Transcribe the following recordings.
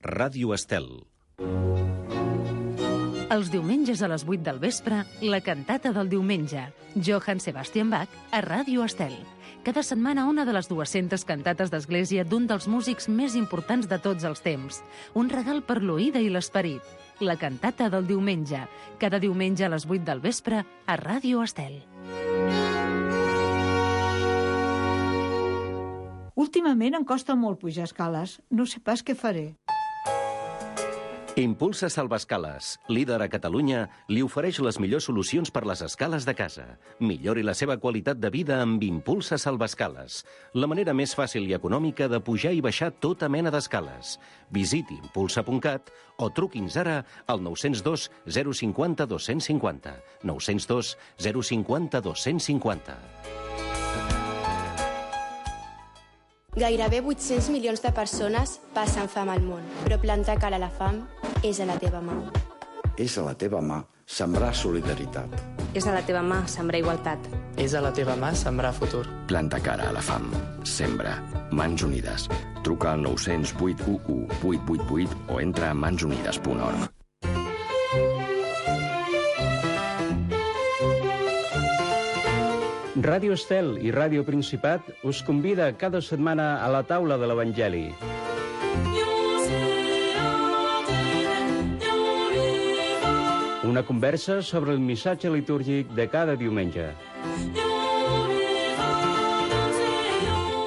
Ràdio Estel. Els diumenges a les 8 del vespre, la cantata del diumenge. Johann Sebastian Bach a Ràdio Estel. Cada setmana una de les 200 cantates d'església d'un dels músics més importants de tots els temps. Un regal per l'oïda i l'esperit. La cantata del diumenge. Cada diumenge a les 8 del vespre a Ràdio Estel. Últimament em costa molt pujar escales. No sé pas què faré. Impulsa Salvaescales, líder a Catalunya, li ofereix les millors solucions per les escales de casa. Millori la seva qualitat de vida amb Impulsa Salvaescales, la manera més fàcil i econòmica de pujar i baixar tota mena d'escales. Visiti impulsa.cat o truqui'ns ara al 902 050 250. 902 050 250. Gairebé 800 milions de persones passen fam al món, però plantar cara a la fam és a la teva mà. És a la teva mà sembrar solidaritat. És a la teva mà sembrar igualtat. És a la teva mà sembrar futur. Planta cara a la fam. Sembra. Mans Unides. Truca al 900 811 888 o entra a mansunides.org. Ràdio Estel i Ràdio Principat us convida cada setmana a la taula de l'Evangeli. Una conversa sobre el missatge litúrgic de cada diumenge.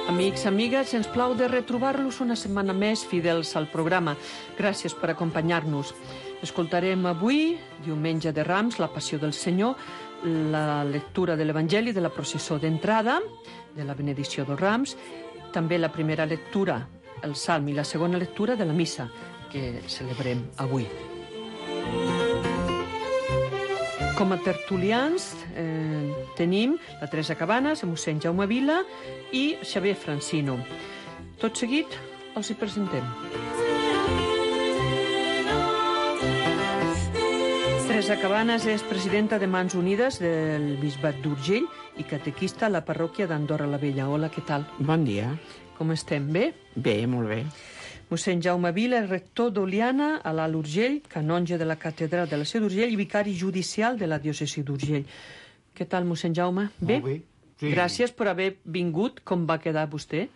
Amics, amigues, ens plau de retrobar-los una setmana més fidels al programa. Gràcies per acompanyar-nos. Escoltarem avui, diumenge de Rams, la Passió del Senyor, la lectura de l'Evangeli de la processó d'entrada, de la benedicció dels Rams, també la primera lectura, el Salm, i la segona lectura de la missa, que celebrem avui. Com a tertulians tenim la Teresa Cabanes, el mossèn Jaume Vila i Xavier Francino. Tot seguit els hi presentem. Teresa Cabanes és presidenta de Mans Unides del Bisbat d'Urgell i catequista a la parròquia d'Andorra la Vella. Hola, què tal? Bon dia. Com estem? Bé? Bé, molt bé. Mossèn Jaume Vila és rector d'Oliana a l'Alt Urgell, canonge de la catedral de la Seu d'Urgell i vicari judicial de la diòcesi d'Urgell. Què tal, mossèn Jaume? Bé? Molt bé. Sí. Gràcies per haver vingut. Com va quedar vostè?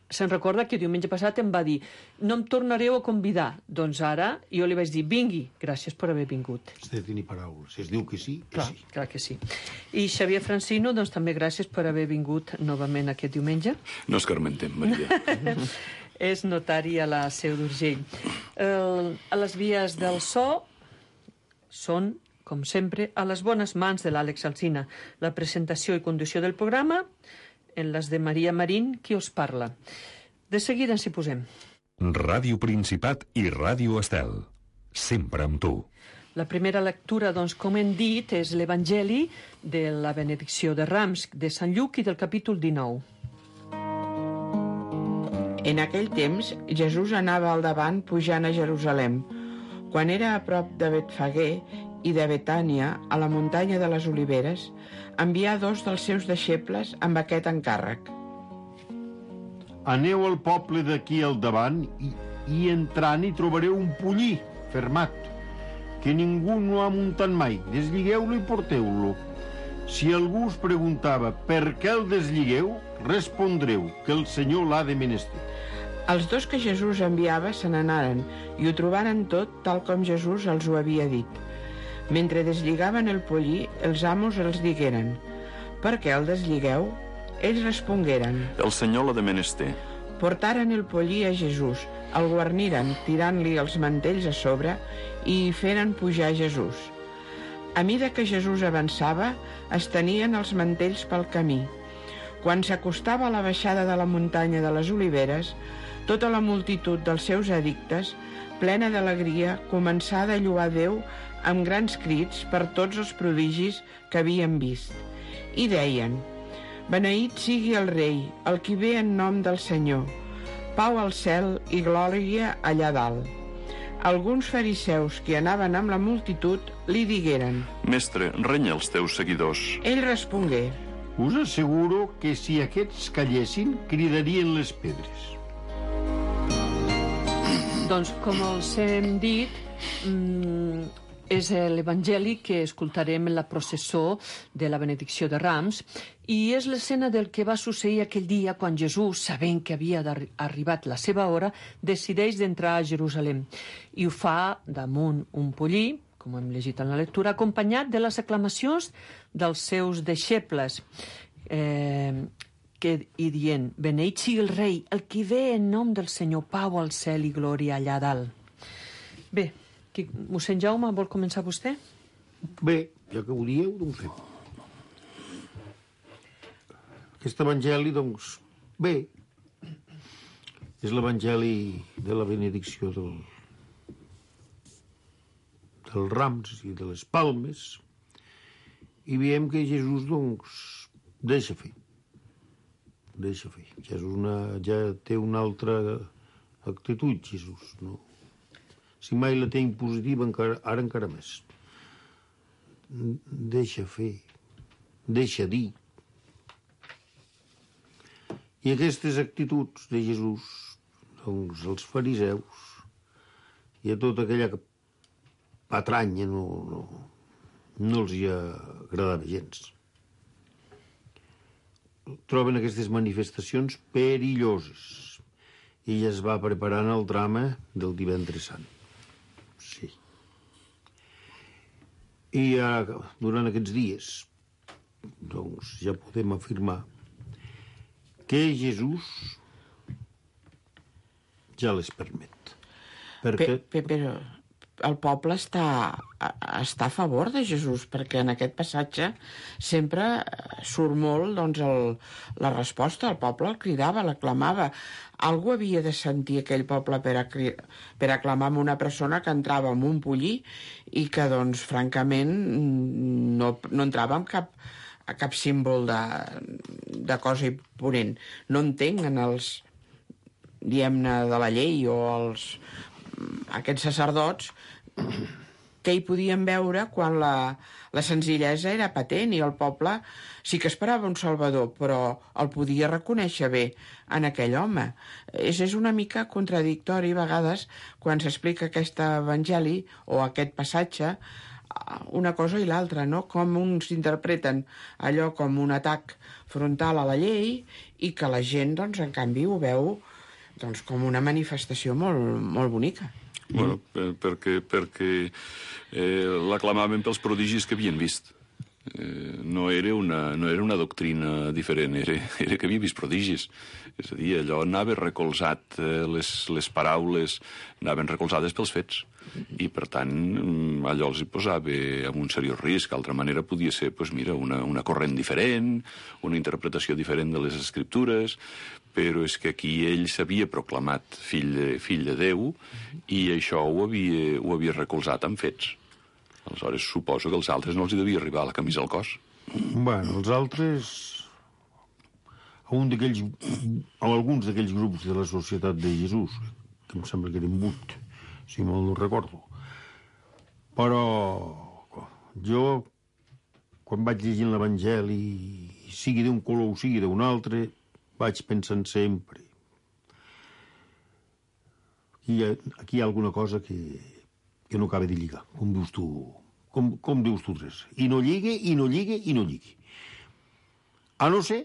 Se'n recorda que diumenge passat em va dir no em tornareu a convidar. Doncs ara jo li vaig dir vingui. Gràcies per haver vingut. Has de tenir paraules. Si es diu que sí, que sí. Clar que sí. I Xavier Francino, doncs també gràcies per haver vingut novament aquest diumenge. No escarmentem, Maria. És notari a la Seu d'Urgell. A les vies del so són, com sempre, a les bones mans de l'Àlex Alsina. La presentació i conducció del programa en les de Maria Marín, qui us parla. De seguida ens hi posem. Ràdio Principat i Ràdio Estel. Sempre amb tu. La primera lectura, doncs, com hem dit, és l'Evangeli de la benedicció de Rams de Sant Lluc i del capítol 19. En aquell temps, Jesús anava al davant pujant a Jerusalem. Quan era a prop de Betfagé i de Betània, a la muntanya de les Oliveres, envià 2 dels seus deixebles amb aquest encàrrec. Aneu al poble d'aquí al davant i entrant hi trobareu un pollí fermat, que ningú no ha muntat mai. Desligueu-lo i porteu-lo. Si algú us preguntava per què el desligueu, respondreu que el Senyor l'ha de menester. Els 2 que Jesús enviava se n'anaren i ho trobaren tot tal com Jesús els ho havia dit. Mentre deslligaven el pollí, els amos els digueren: «Per què el desligueu?» Ells respongueren: «El Senyor l'ha de menester». Portaren el pollí a Jesús, el guarniren tirant-li els mantells a sobre i hi feren pujar Jesús. A mida que Jesús avançava, es tenien els mantells pel camí. Quan s'acostava a la baixada de la muntanya de les Oliveres, tota la multitud dels seus addictes, plena d'alegria, començà a lloar Déu amb grans crits per tots els prodigis que havien vist. I deien: «Beneït sigui el rei, el qui ve en nom del Senyor. Pau al cel i glòria allà dalt». Alguns fariseus que anaven amb la multitud li digueren: «Mestre, renya els teus seguidors». Ell respongué: «Us asseguro que si aquests callessin, cridarien les pedres». Doncs, com els hem dit, és l'Evangeli que escoltarem en la processó de la benedicció de Rams i és l'escena del que va succeir aquell dia quan Jesús, sabent que havia arribat la seva hora, decideix d'entrar a Jerusalem. I ho fa damunt un pollí, com hem llegit en la lectura, acompanyat de les aclamacions dels seus deixebles, i dient, beneït sigui el rei, el que ve en nom del Senyor, pau al cel i glòria allà dalt. Bé, mossèn Jaume, vol començar vostè? Bé, ja que ho dieu, doncs fem. Aquest evangeli, doncs, bé, és l'evangeli de la benedicció dels rams i de les palmes, i veiem que Jesús, doncs, deixa fer. Jesús ja té una altra actitud, Jesús, no? Si mai la té impositiva, ara encara més. Deixa fer, deixa dir. I aquestes actituds de Jesús, doncs, els fariseus i a tota aquella patranya no els hi agradava gens. Troben aquestes manifestacions perilloses i ja es va preparant el drama del Divendres Sant. Sí. I durant aquests dies, doncs, ja podem afirmar que Jesús ja les permet. Però el poble està a favor de Jesús, perquè en aquest passatge sempre surt molt, doncs, la resposta. El poble el cridava, l'aclamava. Algú havia de sentir aquell poble per aclamar amb una persona que entrava amb un pollí i que, doncs, francament, no entrava amb cap símbol de cosa imponent. No entenc en els, diguem-ne, de la llei o aquests sacerdots que hi podien veure quan la senzillesa era patent i el poble sí que esperava un salvador, però el podia reconèixer bé en aquell home. És una mica contradictori a vegades quan s'explica aquest evangeli o aquest passatge, una cosa i l'altra, no? Com uns interpreten allò com un atac frontal a la llei i que la gent, doncs, en canvi ho veu, doncs, com una manifestació molt, molt bonica. Bueno, perquè l'aclamaven pels prodigis que havien vist. No era una doctrina diferent, era que havia vist prodigis. És a dir, allò anava recolzat, les paraules anaven recolzades pels fets. I, per tant, allò els hi posava en un seriós risc. D'altra manera podia ser, doncs mira, una corrent diferent, una interpretació diferent de les Escriptures, però és que aquí ell s'havia proclamat fill de Déu i això ho havia recolzat amb fets. Aleshores, suposo que als altres no els hi devia arribar la camisa al cos. Bueno, els altres, alguns d'aquells grups de la Societat de Jesús, que em sembla que eren 8, si mal no recordo. Però jo, quan vaig llegint l'Evangeli, sigui d'un color o sigui d'un altre, vaig pensant sempre aquí hi ha alguna cosa que no acaba de lligar, com dius tu, com dius tu tres. I no lligue, i no lligue, i no lligue. A no ser,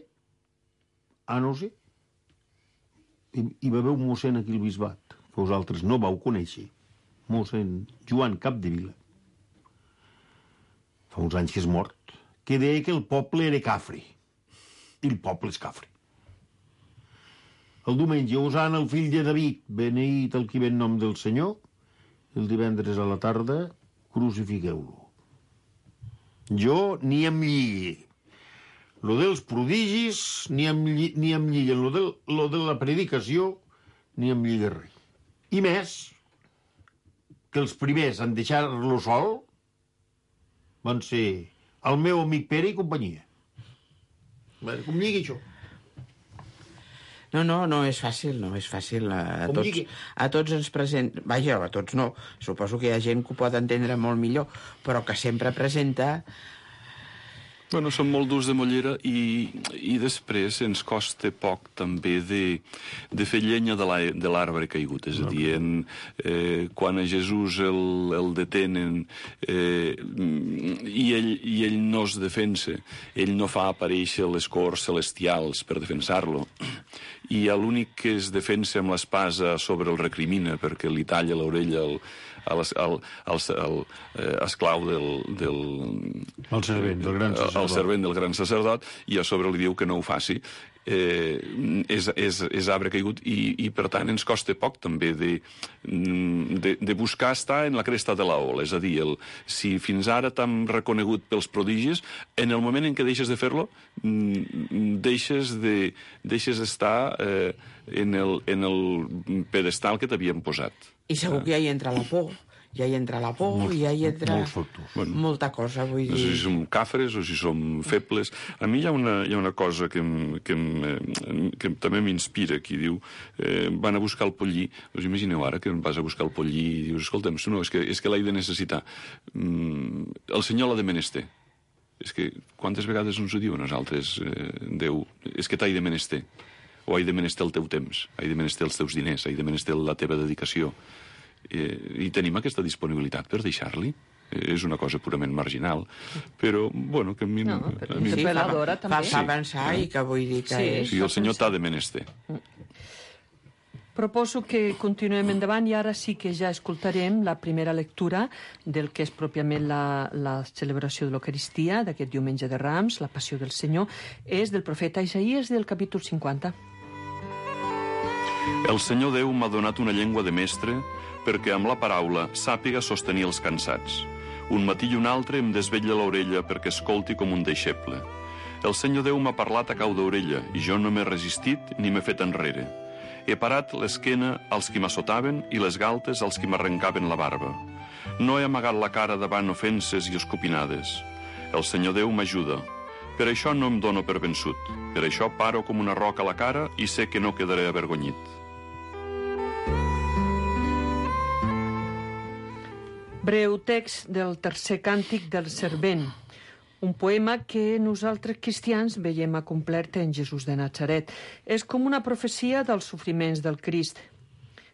hi va haver un mossèn aquí al bisbat, que vosaltres no vau conèixer, mossèn Joan Capdevila, fa uns anys que és mort, que deia que el poble era cafre, i el poble és cafre. El diumenge, Osana, el fill de David, beneït el qui ve en nom del Senyor, el divendres a la tarda, crucifiqueu-lo. Jo ni em lligue. Lo dels prodigis ni em lligue. Lo de la predicació ni em lligue res. I més, que els primers en deixar-lo sol van ser el meu amic Pere i companyia. Com lligui això? No és fàcil, A tots ens presenta... Vaja, a tots no. Suposo que hi ha gent que ho pot entendre molt millor, però que sempre presenta Bueno, són molt durs de mollera i després ens costa poc també de fer llenya de l'arbre caigut. És a dir, quan a Jesús el detenen i ell no es defensa, ell no fa aparèixer les corts celestials per defensar-lo, i l'únic que es defensa amb l'espasa sobre el recrimina perquè li talla l'orella al esclau el servent del gran sacerdot, i a sobre li diu que no ho faci. És arbre caigut i per tant ens costa poc també de buscar estar en la cresta de l'ola. És a dir, si fins ara t'han reconegut pels prodigis, en el moment en què deixes de fer-lo deixes d'estar en el pedestal que t'havien posat. I segur que ja hi entra la por. Ja hi entra la por, ja hi entra molta cosa, vull dir... No sé si som càfres o si som febles. A mi hi ha una cosa que també m'inspira, que diu, van a buscar el pollí, us imagineu ara que vas a buscar el pollí i dius, escolta'm, no, és que l'he de necessitar. El Senyor l'ha de menester. És que quantes vegades ens ho diu a nosaltres, Déu, és que t'he de menester, o he de menester el teu temps, he de menester els teus diners, he de menester la teva dedicació. I tenim aquesta disponibilitat per deixar-li. És una cosa purament marginal, però, bueno, que a mi... Fa avançar i que vull dir que és... Sí, el Senyor t'ha de menester. Proposo que continuem endavant i ara sí que ja escoltarem la primera lectura del que és pròpiament la celebració de l'Eucaristia d'aquest diumenge de Rams, la Passió del Senyor, és del profeta Isaïes del capítol 50. El Senyor Déu m'ha donat una llengua de mestre perquè amb la paraula sàpiga sostenir els cansats. Un matí i un altre em desvetlla l'orella perquè escolti com un deixeble. El Senyor Déu m'ha parlat a cau d'orella i jo no m'he resistit ni m'he fet enrere. He parat l'esquena als qui m'assotaven i les galtes als qui m'arrencaven la barba. No he amagat la cara davant ofenses i escopinades. El Senyor Déu m'ajuda. Per això no em dono per vençut. Per això paro com una roca a la cara i sé que no quedaré avergonyit. Breu text del tercer càntic del Servent, un poema que nosaltres cristians veiem acomplert en Jesús de Natzaret. És com una profecia dels sofriments del Crist.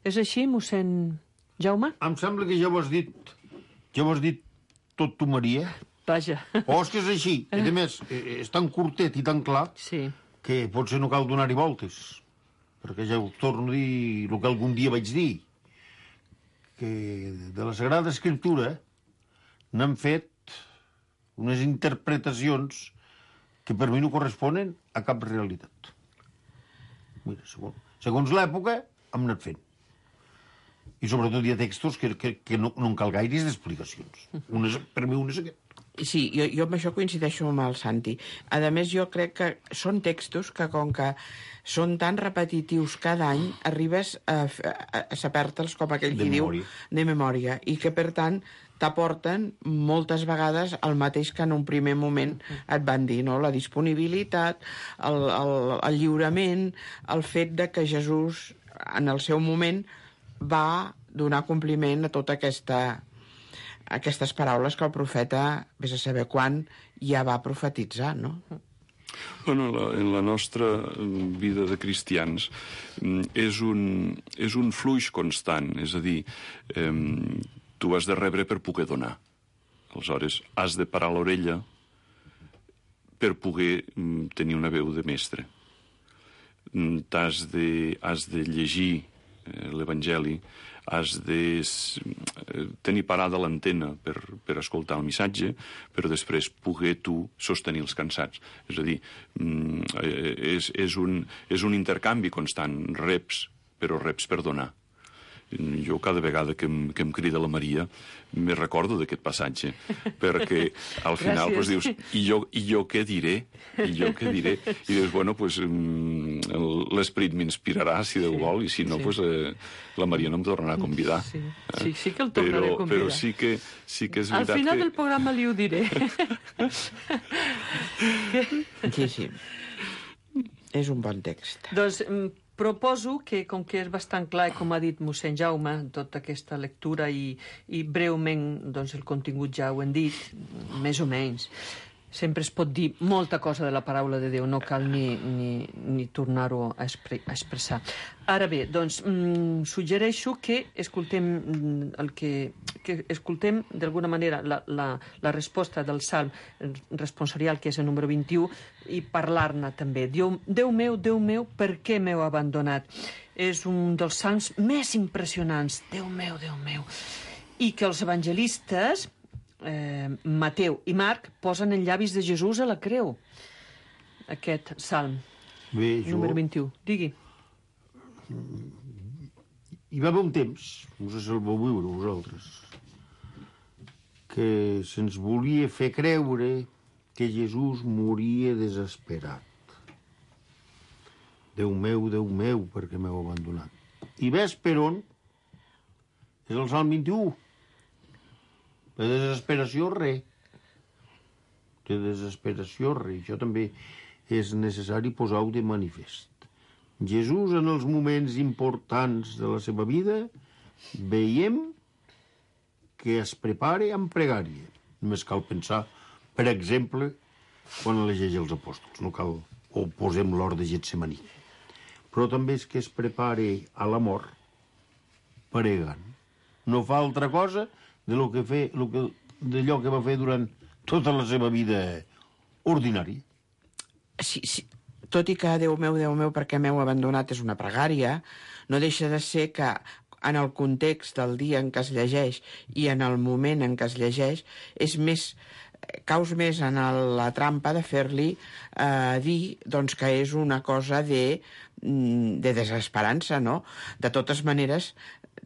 És així, mossèn Jaume? Em sembla que ja ho has dit. Ja ho has dit tot tu, Maria. Vaja. O és que és així. I a més, és tan curtet i tan clar que potser no cal donar-hi voltes. Perquè ja us torno a dir el que algun dia vaig dir, que de la Sagrada Escriptura n'han fet unes interpretacions que per mi no corresponen a cap realitat. Mira, segons l'època hem anat fent. I sobretot hi ha textos que no en cal gaires d'explicacions. Per mi un és aquest. Sí, jo amb això coincideixo amb el Santi. A més, jo crec que són textos que, com que són tan repetitius cada any, arribes a saber-te'ls, com aquell qui diu, de memòria, i que, per tant, t'aporten moltes vegades el mateix que en un primer moment et van dir, no? La disponibilitat, el lliurament, el fet de que Jesús, en el seu moment, va donar compliment a tota aquestes paraules que el profeta, vés a saber quan, ja va profetitzar, no? Bueno, en la nostra vida de cristians és un fluix constant, és a dir, tu has de rebre per poder donar. Aleshores, has de parar l'orella per poder tenir una veu de mestre. Has de llegir l'Evangeli, has de tenir parada l'antena per escoltar el missatge, però després poder tu sostenir els cansats. És a dir, és un intercanvi constant, reps, però reps per donar. Jo cada vegada que em crida la Maria me recordo d'aquest passatge, perquè al final pues, dius, i jo què diré? I dius, bueno, pues, l'Esperit m'inspirarà si Déu vol, i si no, pues, la Maria no em tornarà a convidar. Sí que el tornaré a convidar. Però sí que és veritat que... Al final del programa li ho diré. Sí. És un bon text. Doncs proposo que, com que és bastant clar, com ha dit mossèn Jaume, tota aquesta lectura i breument doncs, el contingut ja ho hem dit, més o menys, Sempre es pot dir molta cosa de la paraula de Déu, no cal ni tornar-ho a expressar. Ara bé, doncs, suggereixo que escoltem que escoltem d'alguna manera la resposta del Salm responsorial, que és el número 21, i parlar-ne també. Déu meu, per què m'heu abandonat? És un dels salms més impressionants. Déu meu. I que els evangelistes Mateu i Marc posen en llavis de Jesús a la creu, aquest salm. Bé, número 21. Digui. Hi va haver un temps, no sé si el vau viure vosaltres, que se'ns volia fer creure que Jesús moria desesperat. Déu meu, per què m'heu abandonat? I ves per on? És el Salm 21. De desesperació, res. De desesperació, res. Això també és necessari posar-ho de manifest. Jesús, en els moments importants de la seva vida, veiem que es prepara amb pregària. Només cal pensar, per exemple, quan elegeix els apòstols. No cal, o posem l'hort de Getsemaní. Però també és que es prepara a la mort pregant. No fa altra cosa d'allò que va fer durant tota la seva vida ordinària. Sí. Tot i que Déu meu, per què m'heu abandonat és una pregària, no deixa de ser que en el context del dia en què es llegeix i en el moment en què es llegeix caus més en la trampa de fer-li dir doncs, que és una cosa de desesperança, no? De totes maneres,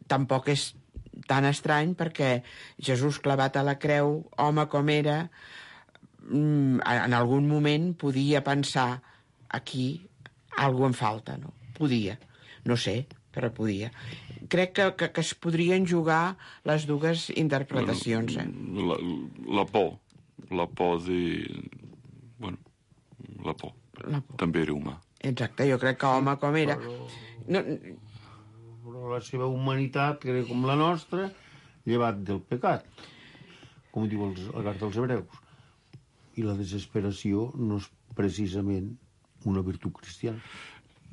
tampoc és tan estrany perquè Jesús clavat a la creu, home com era, en algun moment podia pensar aquí alguna em falta, no? Podia, no sé, però podia. Crec que es podrien jugar les dues interpretacions. La por de... Bueno, la por. També era humà. Exacte, jo crec que home com era... Però la seva humanitat, que era com la nostra, llevat del pecat, com diu la carta als hebreus. I la desesperació no és precisament una virtut cristiana.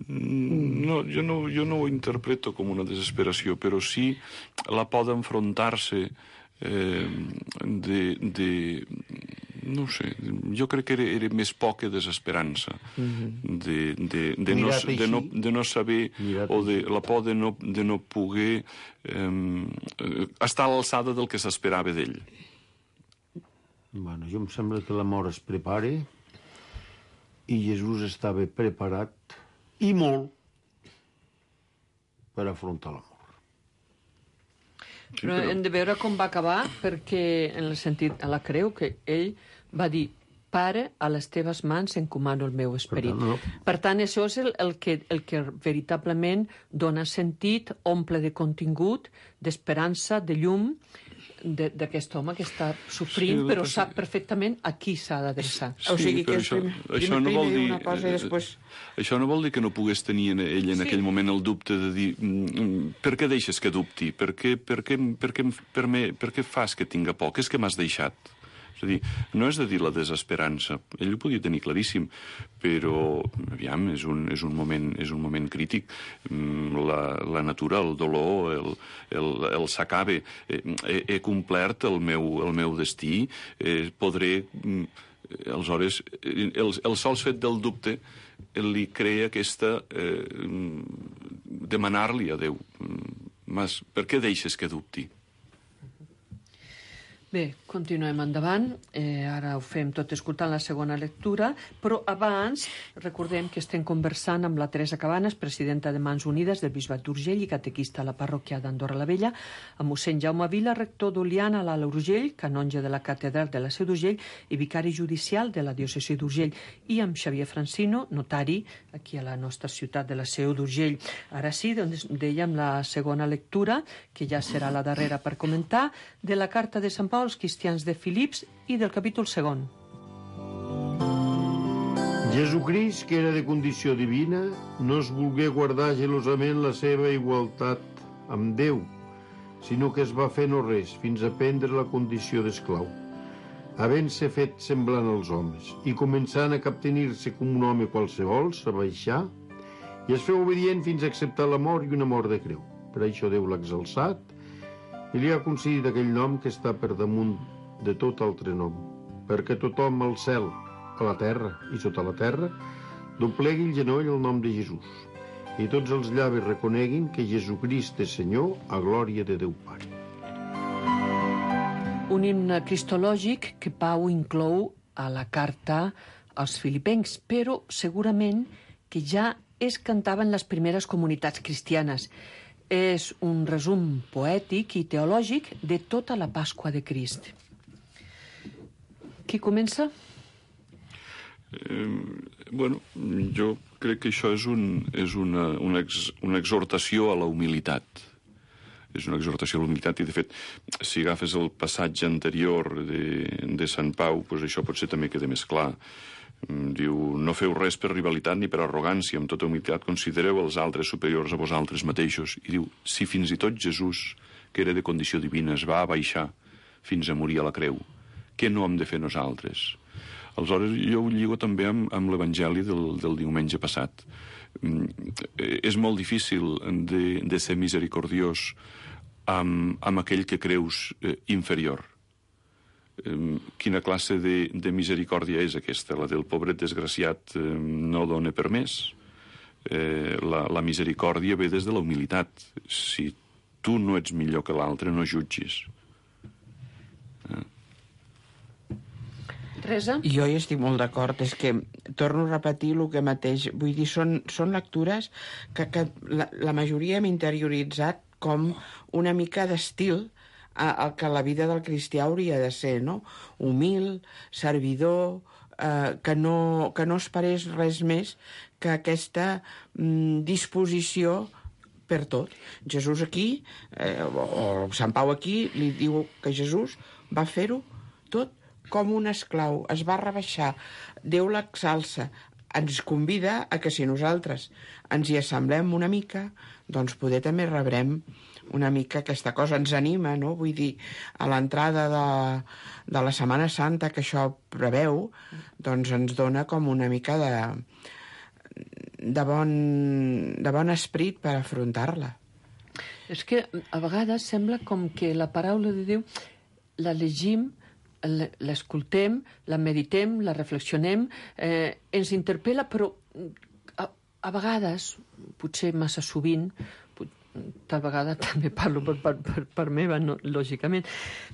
No, jo no ho interpreto com una desesperació, però sí la por d'enfrontar-se no sé, jo crec que era més por que desesperança de no saber, o de la por de no poder estar a l'alçada del que s'esperava d'ell. Bueno, jo em sembla que la mort es prepara i Jesús estava preparat i molt per afrontar la mort. Però hem de veure com va acabar, perquè en el sentit, a la creu, que ell va dir: Pare, a les teves mans encomano el meu esperit. Per tant, això és el que veritablement dona sentit, omple de contingut, d'esperança, de llum, d'aquest home que està sofrint, però sap perfectament a qui s'ha d'adreçar. O sigui que això no vol dir una cosa i després... Això no vol dir que no pogués tenir ell en aquell moment el dubte de dir per què deixes que dubti? Per què fas que tinga por? Què és que m'has deixat? És a dir, no és de dir la desesperança. Ell ho podia tenir claríssim, però, aviam, és un moment crític. La natura, el dolor, el s'acaba. He complert el meu destí. Podré... Aleshores, el sols fet del dubte li crea aquesta... demanar-li a Déu. Mas, per què deixes que dubti? Bé, continuem endavant. Ara ho fem tot escoltant la segona lectura, però abans recordem que estem conversant amb la Teresa Cabanes, presidenta de Mans Unides del Bisbat d'Urgell i catequista a la parròquia d'Andorra la Vella, amb mossèn Jaume Vila, rector d'Oliana a l'Alt Urgell, canonge de la catedral de la Seu d'Urgell i vicari judicial de la diòcesi d'Urgell, i amb Xavier Francino, notari, aquí a la nostra ciutat de la Seu d'Urgell. Ara sí, doncs dèiem la segona lectura, que ja serà la darrera per comentar, de la carta de Sant Pau als cristians de Filips i del capítol 2. Jesucrist, que era de condició divina, no es volgué guardar gelosament la seva igualtat amb Déu, sinó que es va fer no res fins a prendre la condició d'esclau, havent-se fet semblant als homes, i començant a captenir-se com un home qualsevol, s'abaixà i es feu obedient fins a acceptar la mort i una mort de creu. Per això Déu l'ha exalçat i li ha concedit aquell nom que està per damunt de tot altre nom, perquè tothom al cel, a la terra i sota la terra doblegui el genoll al nom de Jesús i tots els llavis reconeguin que Jesucrist és Senyor a glòria de Déu Pare. Un himne cristològic que Pau inclou a la carta als filipencs, però segurament que ja es cantava en les primeres comunitats cristianes. És un resum poètic i teològic de tota la Pasqua de Crist. Qui comença? Jo crec que això és una exhortació a la humilitat. És una exhortació a la humilitat i, de fet, si agafes el passatge anterior de Sant Pau, doncs això potser també queda més clar. Diu, no feu res per rivalitat ni per arrogància, amb tota humilitat considereu els altres superiors a vosaltres mateixos. I diu, si fins i tot Jesús, que era de condició divina, es va abaixar fins a morir a la creu, què no hem de fer nosaltres? Aleshores, jo ho lligo també amb l'Evangeli del diumenge passat. És molt difícil de ser misericordiós amb aquell que creus inferior. Quina classe de misericòrdia és aquesta? La del pobret desgraciat no dona per més. La misericòrdia ve des de la humilitat. Si tu no ets millor que l'altre, no jutgis. Teresa? Jo hi estic molt d'acord. És que torno a repetir el que mateix. Vull dir, són lectures que la majoria hem interioritzat com una mica d'estil el que la vida del cristià hauria de ser, no? Humil, servidor, que no esperés res més que aquesta disposició per tot. Jesús aquí, o Sant Pau aquí, li diu que Jesús va fer-ho tot com un esclau, es va rebaixar, Déu l'exalça, ens convida a que si nosaltres ens hi assemblem una mica, doncs poder també rebrem una mica aquesta cosa, ens anima, no? Vull dir, a l'entrada de la Setmana Santa que això preveu, doncs ens dona com una mica de bon esperit per afrontar-la. És que a vegades sembla com que la paraula de Déu la llegim, l'escoltem, la meditem, la reflexionem, ens interpel·la, però a vegades, potser massa sovint, tal vegada també parlo per meva, no, lògicament,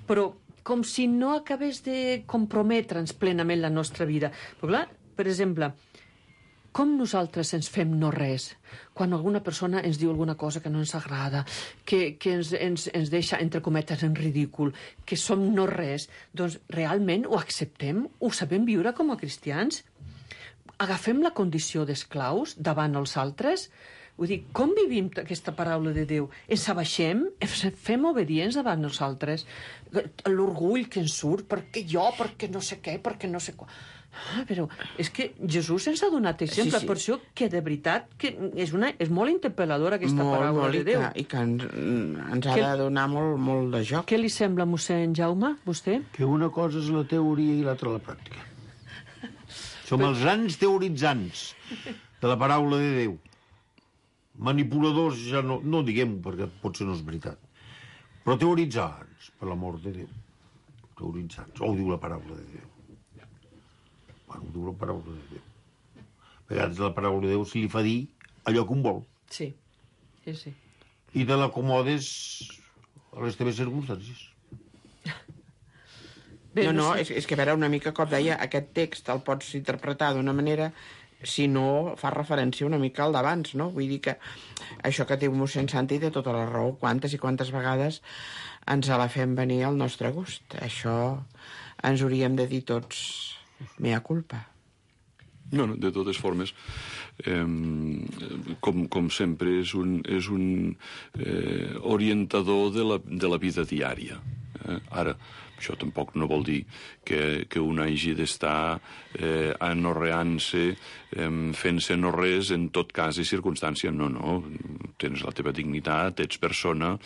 però com si no acabés de comprometre'ns plenament la nostra vida. Però clar, per exemple, com nosaltres ens fem no res quan alguna persona ens diu alguna cosa que no ens agrada, que ens deixa, entre cometes, en ridícul, que som no res, doncs realment ho acceptem? Ho sabem viure com a cristians? Agafem la condició d'esclaus davant els altres? Vull dir, com vivim aquesta paraula de Déu? Ens abaixem? Fem obedients davant nosaltres? L'orgull que ens surt, perquè jo, perquè no sé què, perquè no sé què... però és que Jesús ens ha donat exemple, per això que de veritat que és molt interpel·ladora aquesta paraula de Déu. I que ens ha de donar molt de joc. Què li sembla, mossèn Jaume, vostè? Que una cosa és la teoria i l'altra la pràctica. Som els grans teoritzants de la paraula de Déu. Manipuladors ja no diguem-ho, perquè potser no és veritat. Però teoritzants, per l'amor de Déu. Teoritzants. Ho diu la paraula de Déu. Bueno, ho diu la paraula de Déu. A vegades la paraula de Déu se li fa dir allò que un vol. Sí, sí. I te l'acomodes a les teves circumstàncies. No, és que a veure, una mica com deia, aquest text el pots interpretar d'una manera si no fa referència una mica al d'abans, no? Vull dir que això que diu mossèn Santi té tota la raó. Quantes i quantes vegades ens la fem venir al nostre gust. Això ens hauríem de dir tots mea culpa. No, de totes formes, com sempre, és un orientador de la vida diària. Ara, això tampoc no vol dir que un hagi d'estar anorreant-se, fent-se no res en tot cas i circumstància. No, tens la teva dignitat, ets persona.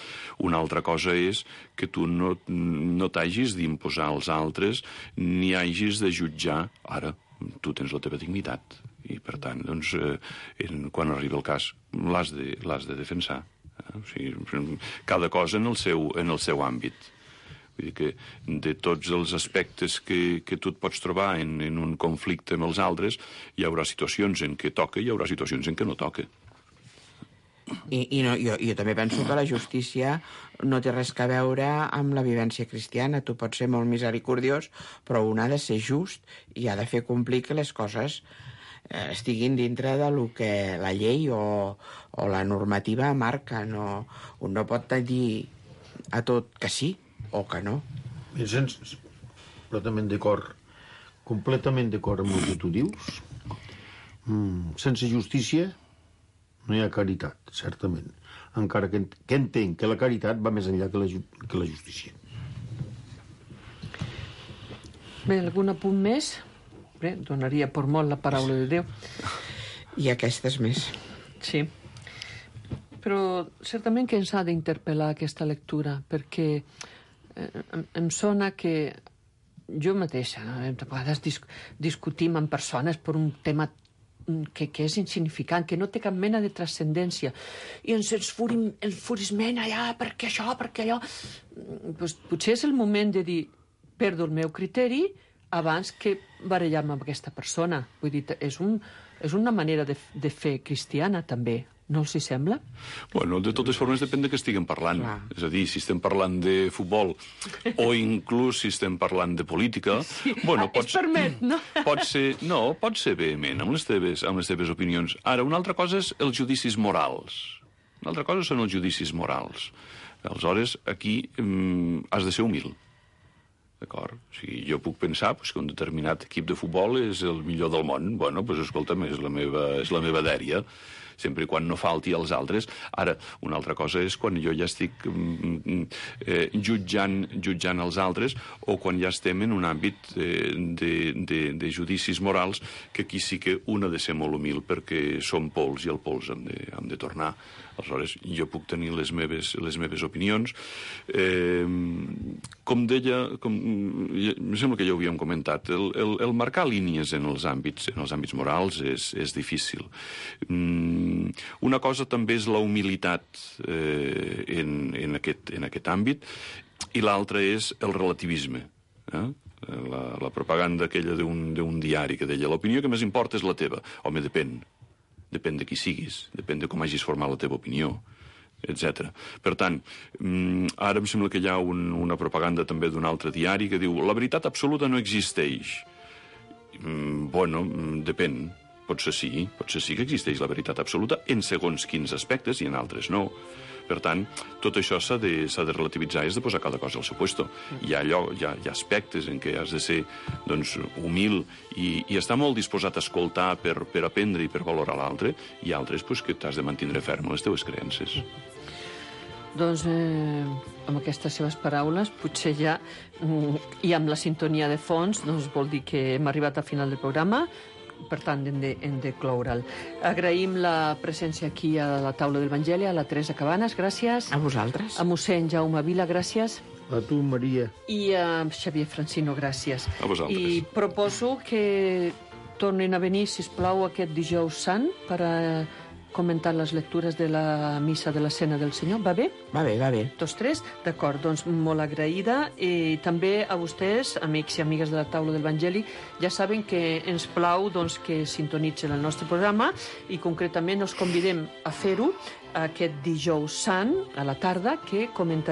Una altra cosa és que tu no t'hagis d'imposar als altres ni hagis de jutjar. Ara, tu tens la teva dignitat i, per tant, doncs, quan arriba el cas, l'has de defensar. O sigui, cada cosa en el seu àmbit. Vull dir que de tots els aspectes que tu et pots trobar en un conflicte amb els altres, hi haurà situacions en què toca i hi haurà situacions en què no toca. Jo també penso que la justícia no té res a veure amb la vivència cristiana. Tu pots ser molt misericordiós, però un ha de ser just i ha de fer complir que les coses estiguin dintre de lo que la llei o la normativa marca. Un no pot dir a tot que sí o que no. Completament d'acord amb el que tu dius. Sense justícia no hi ha caritat, certament. Encara que entenc que la caritat va més enllà que la justícia. Bé, algun apunt més? Bé, donaria per molt la paraula de Déu. I aquestes més. Sí. Però certament que ens ha d'interpel·lar aquesta lectura, perquè em sona que jo mateixa, de vegades discutim amb persones per un tema que és insignificant, que no té cap mena de transcendència, i ens enfurisment allà, perquè això, perquè allò. Pues, potser és el moment de dir, perdo el meu criteri abans que barallar-me amb aquesta persona. Vull dir, és una manera de fer cristiana, també. No els hi sembla? Bueno, de totes formes depèn de què estiguem parlant. És a dir, si estem parlant de futbol o inclús si estem parlant de política... Sí, bueno, es permet, no? Pot ser vehement amb les teves opinions. Ara, una altra cosa és els judicis morals. Una altra cosa són els judicis morals. Aleshores, aquí has de ser humil. D'acord? O sigui, jo puc pensar que un determinat equip de futbol és el millor del món. Bueno, doncs escolta'm, és la meva dèria, sempre i quan no falti als altres. Ara, una altra cosa és quan jo ja estic jutjant els altres o quan ja estem en un àmbit de judicis morals, que aquí sí que un ha de ser molt humil perquè som pols i el pols hem de tornar. Aleshores, jo puc tenir les meves opinions. Com deia, em sembla que ja ho havíem comentat, el marcar línies en els àmbits morals és difícil. Una cosa també és la humilitat en aquest àmbit, i l'altra és el relativisme. La propaganda aquella d'un diari que deia l'opinió que més importa és la teva. Home, depèn de qui siguis, depèn de com hagis format la teva opinió, etc. Per tant, ara em sembla que hi ha una propaganda també d'un altre diari que diu la veritat absoluta no existeix. Bueno, depèn. Potser sí que existeix la veritat absoluta en segons quins aspectes i en altres no. Per tant, tot això s'ha de relativitzar i has de posar cada cosa al seu puesto. Hi ha aspectes en què has de ser humil i estar molt disposat a escoltar per aprendre i per valorar l'altre, i altres que t'has de mantindre ferm en les teves creences. Doncs amb aquestes seves paraules, potser ja, i amb la sintonia de fons, vol dir que hem arribat al final del programa. Per tant, hem de cloure'l. Agraïm la presència aquí a la taula de l'Evangeli, a la Teresa Cabanes, gràcies. A vosaltres. A mossèn Jaume Vila, gràcies. A tu, Maria. I a Xavier Francino, gràcies. A vosaltres. I proposo que tornin a venir, sisplau, aquest dijous sant per a comentar les lectures de la missa de la Cena del Senyor. Va bé? Va bé. Tots tres? D'acord, doncs molt agraïda. I també a vostès, amics i amigues de la taula del Evangeli, ja saben que ens plau que sintonitzen el nostre programa i concretament us convidem a fer-ho aquest dijous sant a la tarda, que comentarem